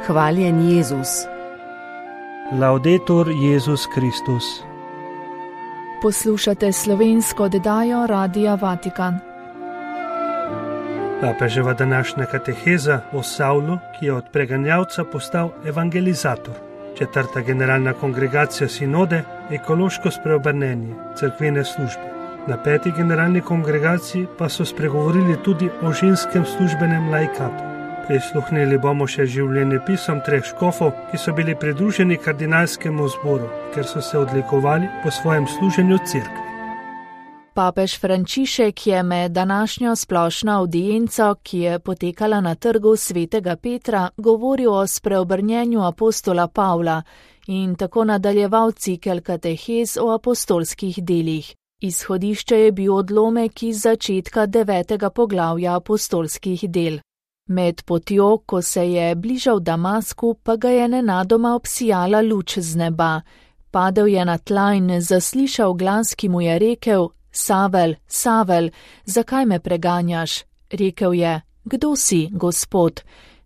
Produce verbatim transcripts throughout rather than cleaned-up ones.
Hvaljen Jezus. Laudetur Jezus Kristus. Poslušate slovensko oddajo Radia Vatikan. Papeževa današnja kateheza o Savlu, ki je od preganjavca postal evangelizator. Četrta generalna kongregacija sinode, ekološko spreobrnenje, cerkvene službe. Na peti generalni kongregaciji pa so spregovorili tudi o ženskem službenem laikatu. Prisluhnili bomo še življenjepisom treh škofov, ki so bili pridruženi kardinalskemu zboru, ker so se odlikovali po svojem služenju cerkvi. Papež Frančišek je med današnjo splošno avdienco, ki je potekala na trgu svetega Petra, govoril o spreobrnjenju apostola Pavla in tako nadaljeval cikel katehez o apostolskih delih. Izhodišče je bil odlomek iz začetka devetega poglavja apostolskih del. Med potjo, ko se je bližal Damasku, pa ga je nenadoma obsijala luč z neba. Padel je na tla in zaslišal glas, ki mu je rekel: Savel, Savel, zakaj me preganjaš? Rekel je: Kdo si, Gospod?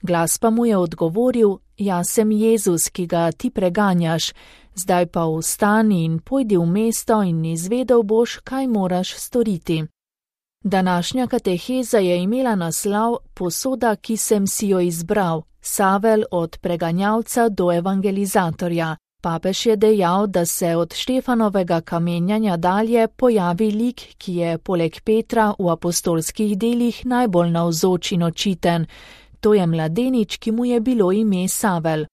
Glas pa mu je odgovoril: Jaz sem Jezus, ki ga ti preganjaš. Zdaj pa vstani in pojdi v mesto in izvedel boš, kaj moraš storiti. Današnja kateheza je imela naslov Posoda, ki sem si jo izbral, Savel od preganjavca do evangelizatorja. Papež je dejal, da se od Štefanovega kamenjanja dalje pojavi lik, ki je poleg Petra v apostolskih delih najbolj navzoč in očiten. To je mladenič, ki mu je bilo ime Savel.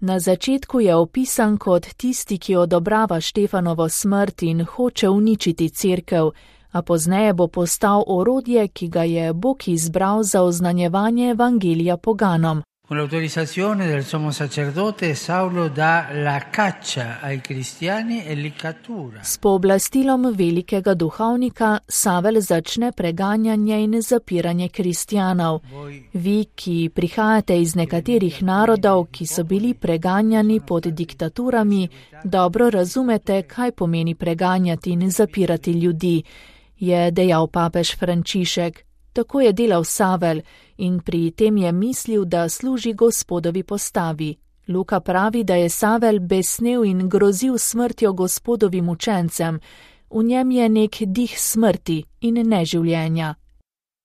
Na začetku je opisan kot tisti, ki odobrava Štefanovo smrt in hoče uničiti cerkev, a pozneje bo postal orodje, ki ga je Bog izbral za oznanjevanje evangelija poganom. Con l'autorizzazione del sommo sacerdote, Saulo dà la caccia ai cristiani e l'iccatura. S pooblastilom velikega duhovnika Savel začne preganjanje in zapiranje kristjanov. Vi, ki prihajate iz nekaterih narodov, ki so bili preganjani pod diktaturami, dobro razumete, kaj pomeni preganjati in zapirati ljudi, je dejal papež Frančišek. Tako je delal Savel in pri tem je mislil, da služi Gospodovi postavi. Luka pravi, da je Savel besnel in grozil smrtjo Gospodovim učencem. V njem je nek dih smrti in neživljenja.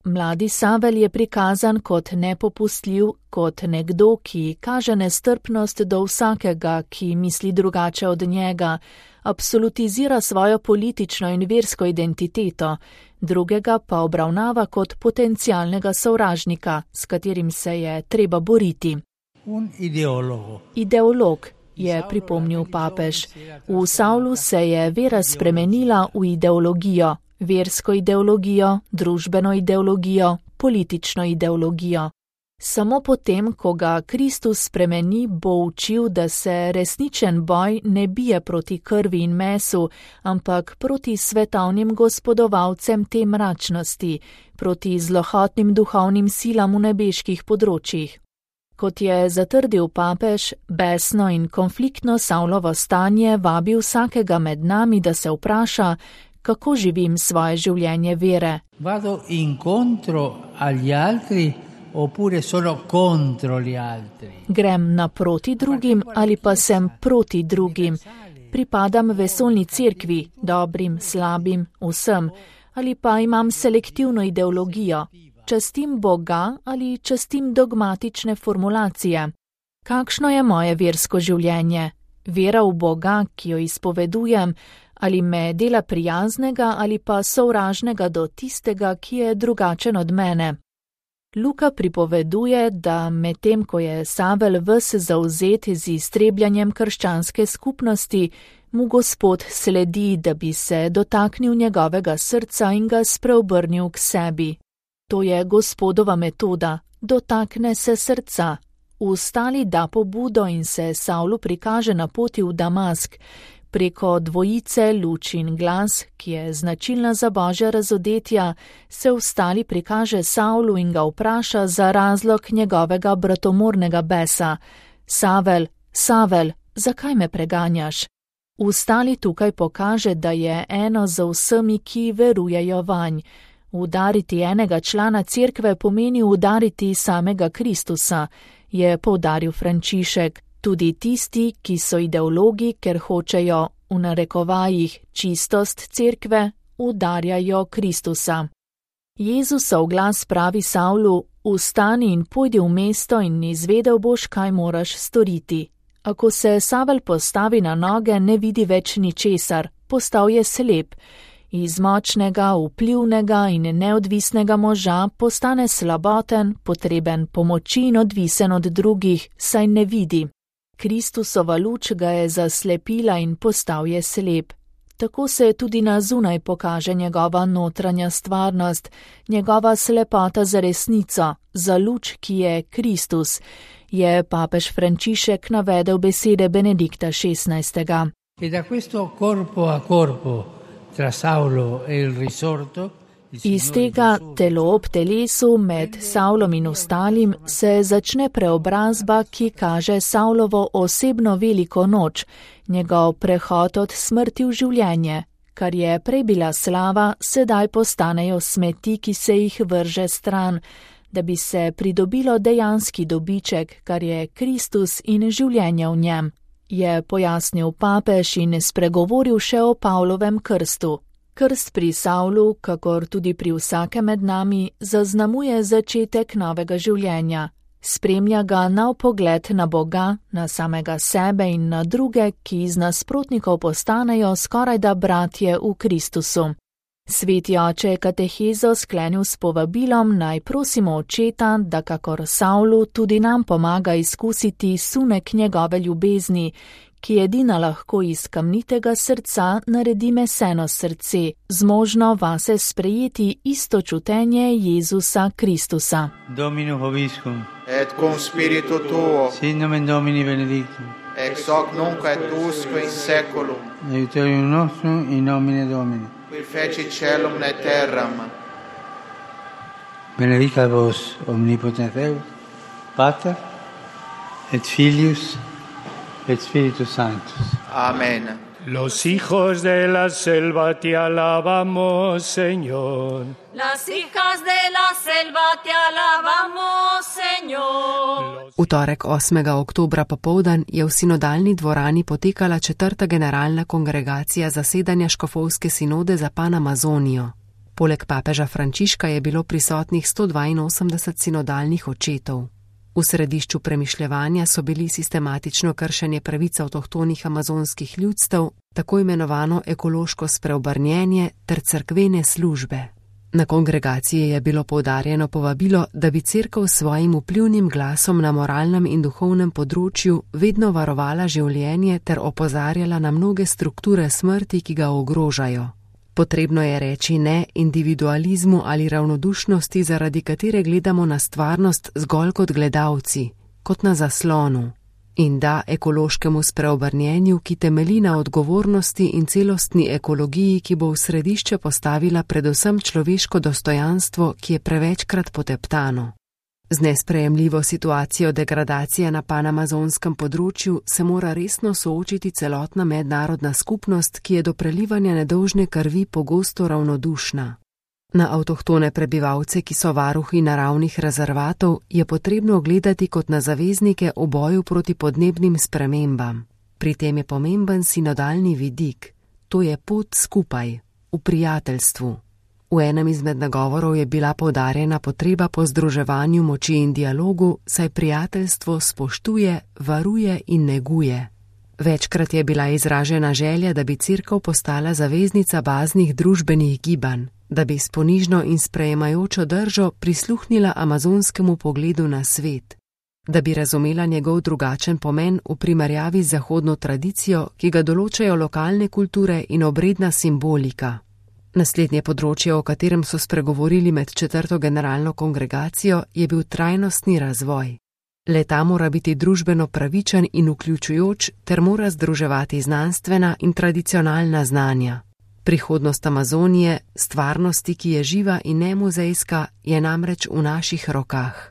Mladi Savel je prikazan kot nepopustljiv, kot nekdo, ki kaže nestrpnost do vsakega, ki misli drugače od njega, absolutizira svojo politično in versko identiteto, drugega pa obravnava kot potencialnega sovražnika, s katerim se je treba boriti. Un ideologo. Ideolog, je pripomnil papež. V Savlu se je vera spremenila v ideologijo, versko ideologijo, družbeno ideologijo, politično ideologijo. Samo potem, ko ga Kristus spremeni, bo učil, da se resničen boj ne bije proti krvi in mesu, ampak proti svetovnim gospodovalcem te mračnosti, proti zlohotnim duhovnim silam v nebeških področjih. Kot je zatrdil papež, besno in konfliktno Savlovo stanje vabi vsakega med nami, da se vpraša, kako živim svoje življenje vere. Vado incontro agli altri oppure sono contro gli altri. Grem naproti drugim ali pa sem proti drugim. Pripadam vesoljni cerkvi, dobrim, slabim, vsem, ali pa imam selektivno ideologijo. Častim Boga ali častim dogmatične formulacije. Kakšno je moje versko življenje? Vera v Boga, ki jo izpovedujem, ali me dela prijaznega ali pa sovražnega do tistega, ki je drugačen od mene. Luka pripoveduje, da medtem ko je Savel ves zavzet z iztrebljanjem krščanske skupnosti, mu Gospod sledi, da bi se dotaknil njegovega srca in ga spreobrnil k sebi. To je Gospodova metoda, dotakne se srca. Vstali da pobudo in se Savlu prikaže na poti v Damask, preko dvojice luč in glas, ki je značilna za Božja razodetja, se vstali prikaže Savlu in ga vpraša za razlog njegovega bratomornega besa. Savel, Savel, zakaj me preganjaš? Vstali tukaj pokaže, da je eno za vsemi, ki verujejo vanj. Udariti enega člana cerkve pomeni udariti samega Kristusa je poudaril Frančišek. Tudi tisti, ki so ideologi, ker hočejo v narekovajih čistost cerkve, udarjajo Kristusa. Jezusov glas pravi Savlu: vstani in pojdi v mesto in izvedel boš, kaj moraš storiti. A ko se Savel postavi na noge, ne vidi več ničesar, postal je slep. Iz močnega, vplivnega in neodvisnega moža postane slaboten, potreben pomoči in odvisen od drugih, saj ne vidi. Kristusova luč ga je zaslepila in postal je slep. Tako se tudi na zunaj pokaže njegova notranja stvarnost, njegova slepota za resnico, za luč, ki je Kristus, je papež Frančišek navedel besede Benedikta šestnajstega. E da questo corpo a corpo tra Saulo e il risorto, iz tega telo ob telesu med Saulom in ostalim se začne preobrazba, ki kaže Saulovo osebno veliko noč, njegov prehod od smrti v življenje. Kar je prej bila slava, sedaj postanejo smeti, ki se jih vrže stran, da bi se pridobilo dejanski dobiček, kar je Kristus in življenje v njem, je pojasnil papež in spregovoril še o Pavlovem krstu. Krst pri Savlu, kakor tudi pri vsakem med nami, zaznamuje začetek novega življenja. Spremlja ga nov pogled na Boga, na samega sebe in na druge, ki iz nasprotnikov postanejo skorajda bratje v Kristusu. Sveti oče je katehezo sklenil s povabilom, naj prosimo očeta, da kakor Savlu tudi nam pomaga izkusiti sunek njegove ljubezni, ki edina lahko iz kamnitega srca naredi meseno srce, zmožno vase sprejeti isto čutenje Jezusa Kristusa. Domino vobiscum, et cum spiritu tuo, sit nomen Domini benedictum, ex hoc nunc et usque in saeculum, aiuterium nostrum in nomine Domini, qui feci caelum et terram. Benedicat vos omnipotens Deus, Pater et Filius et Spiritus Sanctus. Amén. Los hijos de la selva te alabamos, Señor. Las hijas de la selva te alabamos, Señor. V torek osmega oktobra popoldan je v sinodalni dvorani potekala četrta generalna kongregacija zasedanja škofovske sinode za Panamazonijo. Poleg papeža Frančiška je bilo prisotnih sto dvainosemdeset sinodalnih očetov. V središču premišljevanja so bili sistematično kršenje pravic avtohtonih amazonskih ljudstev, tako imenovano ekološko spreobrnjenje ter cerkvene službe. Na kongregaciji je bilo poudarjeno povabilo, da bi cerkev s svojim vplivnim glasom na moralnem in duhovnem področju vedno varovala življenje ter opozarjala na mnoge strukture smrti, ki ga ogrožajo. Potrebno je reči ne individualizmu ali ravnodušnosti, zaradi katere gledamo na stvarnost zgolj kot gledalci, kot na zaslonu, in da ekološkemu spreobrnjenju, ki temelji na odgovornosti in celostni ekologiji, ki bo v središče postavila predvsem človeško dostojanstvo, ki je prevečkrat poteptano. Z nesprejemljivo situacijo degradacije na panamazonskem področju se mora resno soočiti celotna mednarodna skupnost, ki je do prelivanja nedolžne krvi pogosto ravnodušna. Na avtohtone prebivalce, ki so varuhi naravnih rezervatov, je potrebno gledati kot na zaveznike v boju proti podnebnim spremembam. Pri tem je pomemben sinodalni vidik, to je pot skupaj, v prijateljstvu. V enem izmed nagovorov je bila poudarjena potreba po združevanju moči in dialogu, saj prijateljstvo spoštuje, varuje in neguje. Večkrat je bila izražena želja, da bi cerkev postala zaveznica baznih družbenih gibanj, da bi s ponižno in sprejemajočo držo prisluhnila amazonskemu pogledu na svet, da bi razumela njegov drugačen pomen v primerjavi z zahodno tradicijo, ki ga določajo lokalne kulture in obredna simbolika. Naslednje področje, o katerem so spregovorili med četrto generalno kongregacijo, je bil trajnostni razvoj. Le-ta mora biti družbeno pravičen in vključujoč ter mora združevati znanstvena in tradicionalna znanja. Prihodnost Amazonije, stvarnosti, ki je živa in nemuzejska, je namreč v naših rokah.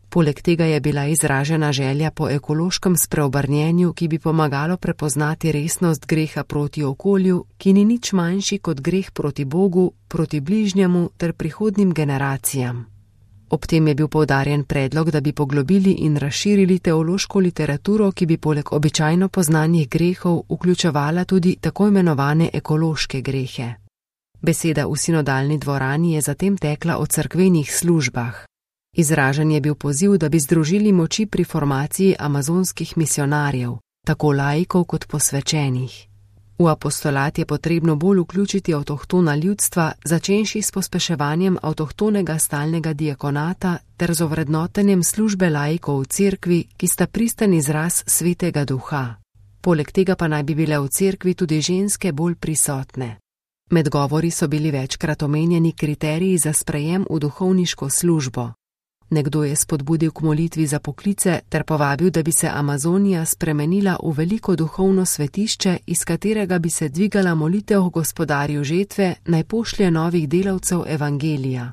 Poleg tega je bila izražena želja po ekološkem spreobrnjenju, ki bi pomagalo prepoznati resnost greha proti okolju, ki ni nič manjši kot greh proti Bogu, proti bližnjemu ter prihodnim generacijam. Ob tem je bil poudarjen predlog, da bi poglobili in razširili teološko literaturo, ki bi poleg običajno poznanih grehov vključevala tudi tako imenovane ekološke grehe. Beseda v sinodalni dvorani je zatem tekla o cerkvenih službah. Izražen je bil poziv, da bi združili moči pri formaciji amazonskih misionarjev, tako laikov kot posvečenih. V apostolat je potrebno bolj vključiti avtohtona ljudstva, začenši s pospeševanjem avtohtonega stalnega diakonata ter z ovrednotenjem službe laikov v cerkvi, ki sta pristen izraz svetega duha. Poleg tega pa naj bi bile v cerkvi tudi ženske bolj prisotne. Med govori so bili večkrat omenjeni kriteriji za sprejem v duhovniško službo. Nekdo je spodbudil k molitvi za poklice ter povabil, da bi se Amazonija spremenila v veliko duhovno svetišče, iz katerega bi se dvigala molitev gospodarju žetve, naj pošlje novih delavcev evangelija.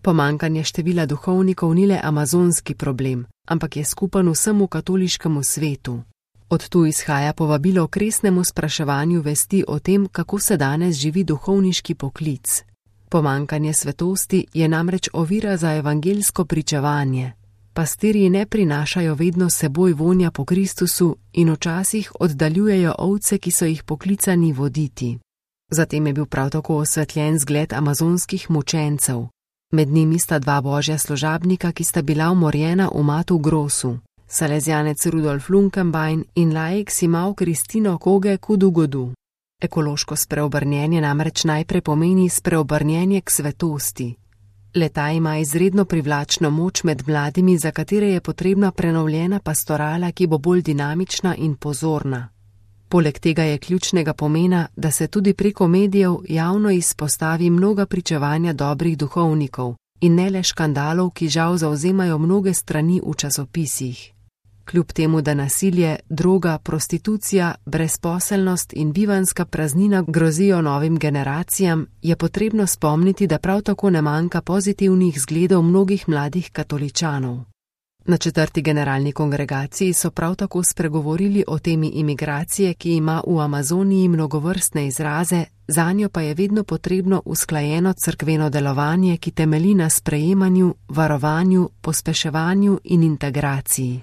Pomanjkanje števila duhovnikov ni le amazonski problem, ampak je skupen vsemu katoliškemu svetu. Od tu izhaja povabilo k resnemu spraševanju vesti o tem, kako se danes živi duhovniški poklic. Pomanjkanje svetosti je namreč ovira za evangeljsko pričevanje. Pastirji ne prinašajo vedno seboj vonja po Kristusu in včasih oddaljujejo ovce, ki so jih poklicani voditi. Zatem je bil prav tako osvetljen zgled amazonskih mučencev. Med njimi sta dva božja služabnika, ki sta bila umorjena v Matu Grosu, salezjanec Rudolf Lunkenbein in laik Simao Kristino Koge Kudugodu. Ekološko spreobrnjenje namreč najprej pomeni spreobrnjenje k svetosti. Le-ta ima izredno privlačno moč med mladimi, za katere je potrebna prenovljena pastorala, ki bo bolj dinamična in pozorna. Poleg tega je ključnega pomena, da se tudi preko medijev javno izpostavi mnoga pričevanja dobrih duhovnikov in ne le škandalov, ki žal zavzemajo mnoge strani v časopisih. Kljub temu, da nasilje, droga, prostitucija, brezposelnost in bivanska praznina grozijo novim generacijam, je potrebno spomniti, da prav tako ne manjka pozitivnih zgledov mnogih mladih katoličanov. Na četrti generalni kongregaciji so prav tako spregovorili o temi imigracije, ki ima v Amazoniji mnogovrstne izraze, zanjo pa je vedno potrebno usklajeno cerkveno delovanje, ki temelji na sprejemanju, varovanju, pospeševanju in integraciji.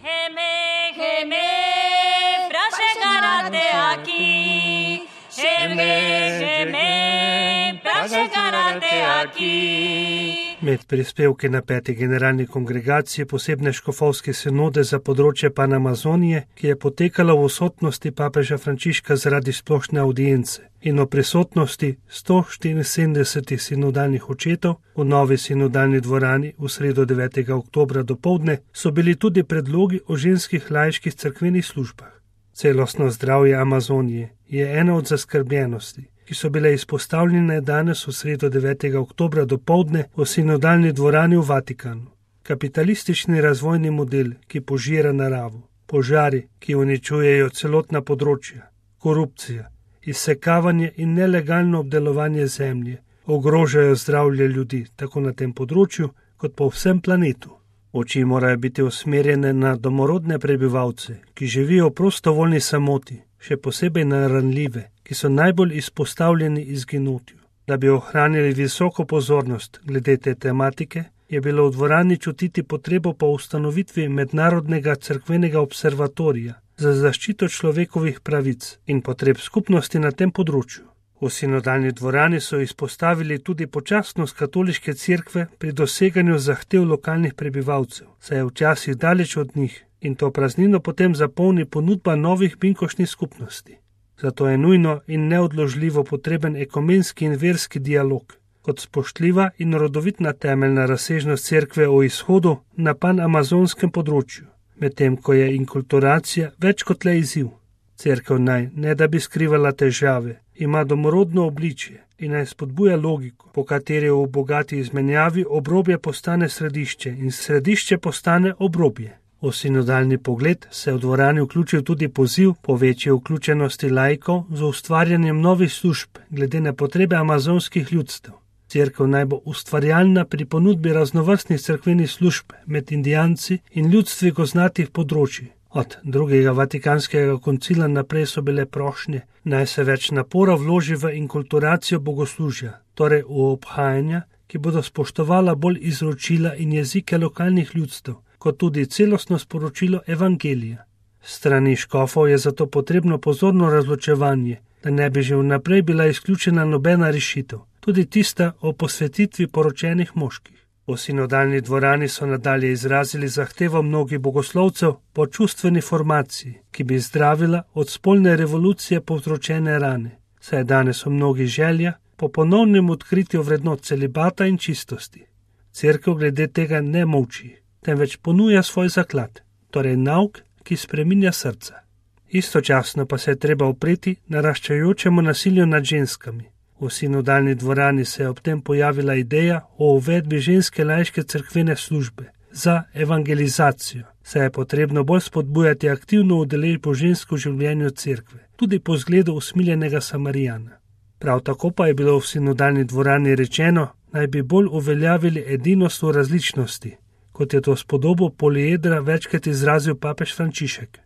Med prispevki na peti generalni kongregaciji posebne škofovske sinode za področje Panamazonije, ki je potekala v odsotnosti papeža Frančiška zaradi splošne audience in o prisotnosti sto štiriinsedemdesetih sinodalnih očetov v novi sinodalni dvorani v sredo devetega oktobra dopoldne, so bili tudi predlogi o ženskih laiških cerkvenih službah. Celostno zdravje Amazonije je ena od zaskrbljenosti, ki so bile izpostavljene danes v sredo devetega oktobra dopoldne v sinodalni dvorani v Vatikanu. Kapitalistični razvojni model, ki požira naravo, požari, ki uničujejo celotna področja, korupcija, izsekavanje in nelegalno obdelovanje zemlje, ogrožajo zdravje ljudi tako na tem področju kot po vsem planetu. Oči morajo biti usmerjene na domorodne prebivalce, ki živijo v prostovoljni samoti, še posebej na ranljive, ki so najbolj izpostavljeni izginotju. Da bi ohranili visoko pozornost glede te tematike, je bilo v dvorani čutiti potrebo po ustanovitvi mednarodnega cerkvenega observatorija za zaščito človekovih pravic in potreb skupnosti na tem področju. V sinodalni dvorani so izpostavili tudi počasnost katoliške cerkve pri doseganju zahtev lokalnih prebivalcev, saj je včasih daleč od njih in to praznino potem zapolni ponudba novih binkošnih skupnosti. Zato je nujno in neodložljivo potreben ekumenski in verski dialog, kot spoštljiva in rodovitna temeljna razsežnost cerkve o izhodu na panamazonskem področju, medtem ko je inkulturacija več kot le izziv. Cerkev naj, ne da bi skrivala težave, ima domorodno obličje in naj spodbuja logiko, po kateri v bogati izmenjavi obrobje postane središče in središče postane obrobje. V sinodalni pogled se je v dvorani vključil tudi poziv po večji vključenosti laikov z ustvarjanjem novih služb glede na potrebe amazonskih ljudstev. Cerkev naj bo ustvarjalna pri ponudbi raznovrstnih cerkvenih služb med indijanci in ljudstvi gozdnatih področij. Od drugega vatikanskega koncila naprej so bile prošnje, naj se več napora vloži v inkulturacijo bogoslužja, torej v obhajanja, ki bodo spoštovala bolj izročila in jezike lokalnih ljudstev, kot tudi celostno sporočilo evangelija. Strani škofov je zato potrebno pozorno razločevanje, da ne bi že vnaprej bila izključena nobena rešitev, tudi tista o posvetitvi poročenih moških. V sinodalni dvorani so nadalje izrazili zahtevo mnogih bogoslovcev po čustveni formaciji, ki bi zdravila od spolne revolucije povzročene rane, saj je danes v mnogih želja po ponovnem odkritju vrednot celibata in čistosti. Cerkev glede tega ne molči, temveč ponuja svoj zaklad, torej nauk, ki spreminja srca. Istočasno pa se je treba opreti naraščajočemu nasilju nad ženskami. V sinodalni dvorani se je ob tem pojavila ideja o uvedbi ženske laiške cerkvene službe za evangelizacijo, saj je potrebno bolj spodbujati aktivno udeležbo žensk v življenju cerkve, tudi po zgledu usmiljenega Samarijana. Prav tako pa je bilo v sinodalni dvorani rečeno, naj bi bolj uveljavili edinost v različnosti, kot je to s podobo poliedra večkrat izrazil papež Frančišek.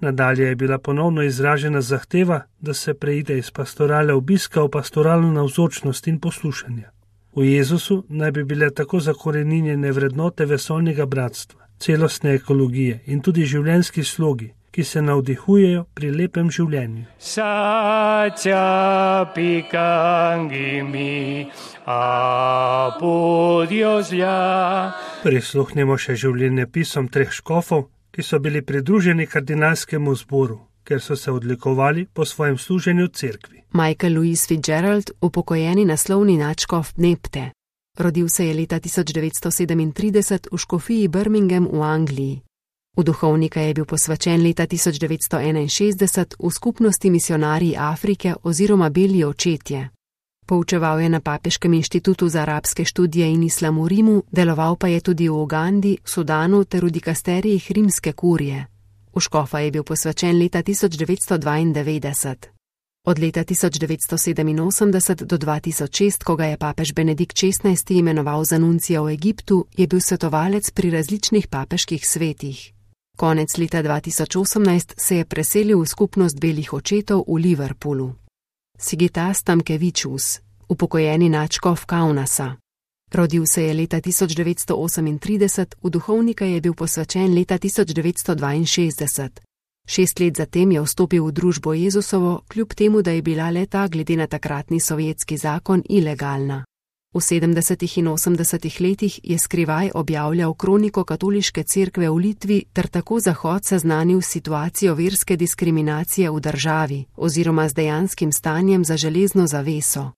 Nadalje je bila ponovno izražena zahteva, da se preide iz pastorale obiska v pastoralno navzočnost in poslušanje. V Jezusu naj bi bile tako zakoreninjene vrednote vesoljnega bratstva, celostne ekologije in tudi življenjski slogi, ki se navdihujejo pri lepem življenju. Sacia picangimi apodiosja. Prisluhnimo še življenjepisom treh škofov, ki so bili pridruženi kardinalskemu zboru, ker so se odlikovali po svojem služenju cerkvi. Michael Louis Fitzgerald, upokojeni naslovni nadškof Nepte. Rodil se je leta tisoč devetsto sedemintrideset v škofiji Birmingham v Angliji. V duhovnika je bil posvečen leta tisoč devetsto enainšestdeset v skupnosti misionarji Afrike oziroma Beli očetje. Poučeval je na Papeškem inštitutu za arabske študije in islam v Rimu, deloval pa je tudi v Ugandi, Sudanu ter v dikasterijih rimske kurije. V škofa je bil posvečen leta tisoč devetsto dvaindevetdeset. Od leta tisoč devetsto sedeminosemdeset do dva tisoč šest, ko ga je papež Benedikt šestnajsti imenoval za nuncija v Egiptu, je bil svetovalec pri različnih papeških svetih. Konec leta dva tisoč osemnajst se je preselil v skupnost belih očetov v Liverpoolu. Sigitas Tamkevičus, upokojeni nadškof Kaunasa. Rodil se je leta tisoč devetsto osemintrideset, v duhovnika je bil posvečen leta tisoč devetsto dvainšestdeset. Šest let zatem je vstopil v družbo Jezusovo, kljub temu, da je bila le-ta glede na takratni sovjetski zakon ilegalna. V sedemdesetih in osemdesetih letih je skrivaj objavljal kroniko katoliške cerkve v Litvi ter tako Zahod seznanil s situacijo verske diskriminacije v državi oziroma z dejanskim stanjem za železno zaveso.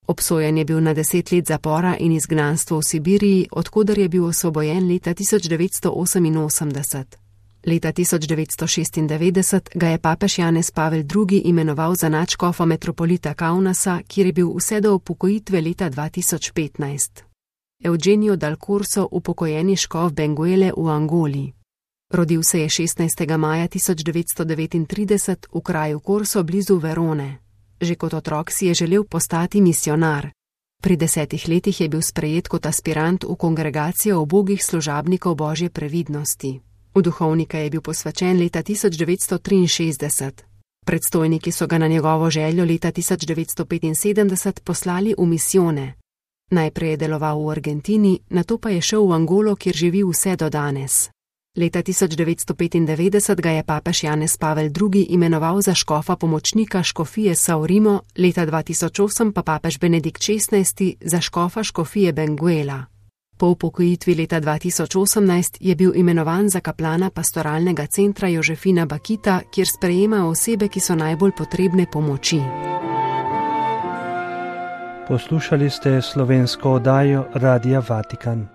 Obsojen je bil na deset let zapora in izgnanstvo v Sibiriji, odkoder je bil osvobojen leta tisoč devetsto oseminosemdeset. Leta tisoč devetsto šestindevetdeset ga je papež Janez Pavel drugi imenoval za nadškofa metropolita Kaunasa, kjer je bil vse do upokojitve leta dva tisoč petnajst. Eugenio Dal Corso, upokojeni škof Benguele v Angoli. Rodil se je šestnajstega maja tisoč devetsto devetintrideset v kraju Corso blizu Verone. Že kot otrok si je želel postati misionar. Pri desetih letih je bil sprejet kot aspirant v kongregacijo ubogih služabnikov Božje previdnosti. V duhovnika je bil posvečen leta tisoč devetsto triinšestdeset. Predstojniki so ga na njegovo željo leta tisoč devetsto petinsedemdeset poslali v misijone. Najprej je deloval v Argentini, nato pa je šel v Angolo, kjer živi vse do danes. Leta tisoč devetsto petindevetdeset ga je papež Janez Pavel drugi imenoval za škofa pomočnika škofije São Rimo, leta dva tisoč osem pa papež Benedikt šestnajsti za škofa škofije Benguela. Po upokojitvi leta dva tisoč osemnajst je bil imenovan za kaplana pastoralnega centra Jožefina Bakita, kjer sprejema osebe, ki so najbolj potrebne pomoči. Poslušali ste slovensko oddajo Radia Vatikan.